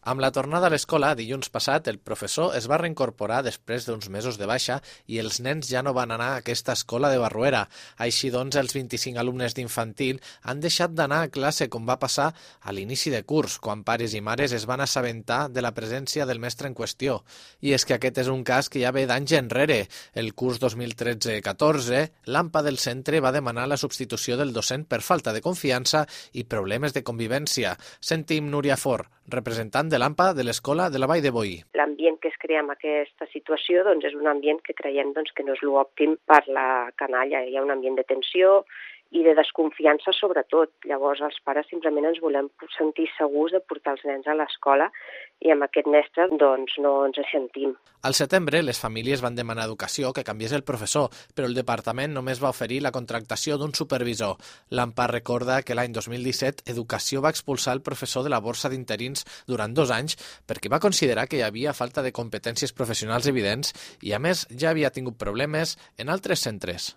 Amb la tornada a l'escola, dilluns passat, el professor es va reincorporar després d'uns mesos de baixa i els nens ja no van anar a aquesta escola de Barruera. Així doncs, els 25 alumnes d'infantil han deixat d'anar a classe com va passar a l'inici de curs, quan pares i mares es van assabentar de la presència del mestre en qüestió. I és que aquest és un cas que ja ve d'anys enrere. El curs 2013-14, l'AMPA del centre va demanar la substitució del docent per falta de confiança i problemes de convivència. Sentim Núria Fort, representant de l'AMPA de l'Escola de la Vall de Boí. L'ambient que es crea amb aquesta situació és un ambient que creiem que no és l'òptim per la canalla. Hi ha un ambient de tensió i de desconfiança sobretot. Llavors els pares simplement ens volem sentir segurs de portar els nens a l'escola i amb aquest mestre no ens sentim. Al setembre les famílies van demanar a Educació que canviés el professor, però el departament només va oferir la contractació d'un supervisor. L'AMPA recorda que l'any 2017 Educació va expulsar el professor de la borsa d'interins durant 2 anys perquè va considerar que hi havia falta de competències professionals evidents i a més ja havia tingut problemes en altres centres.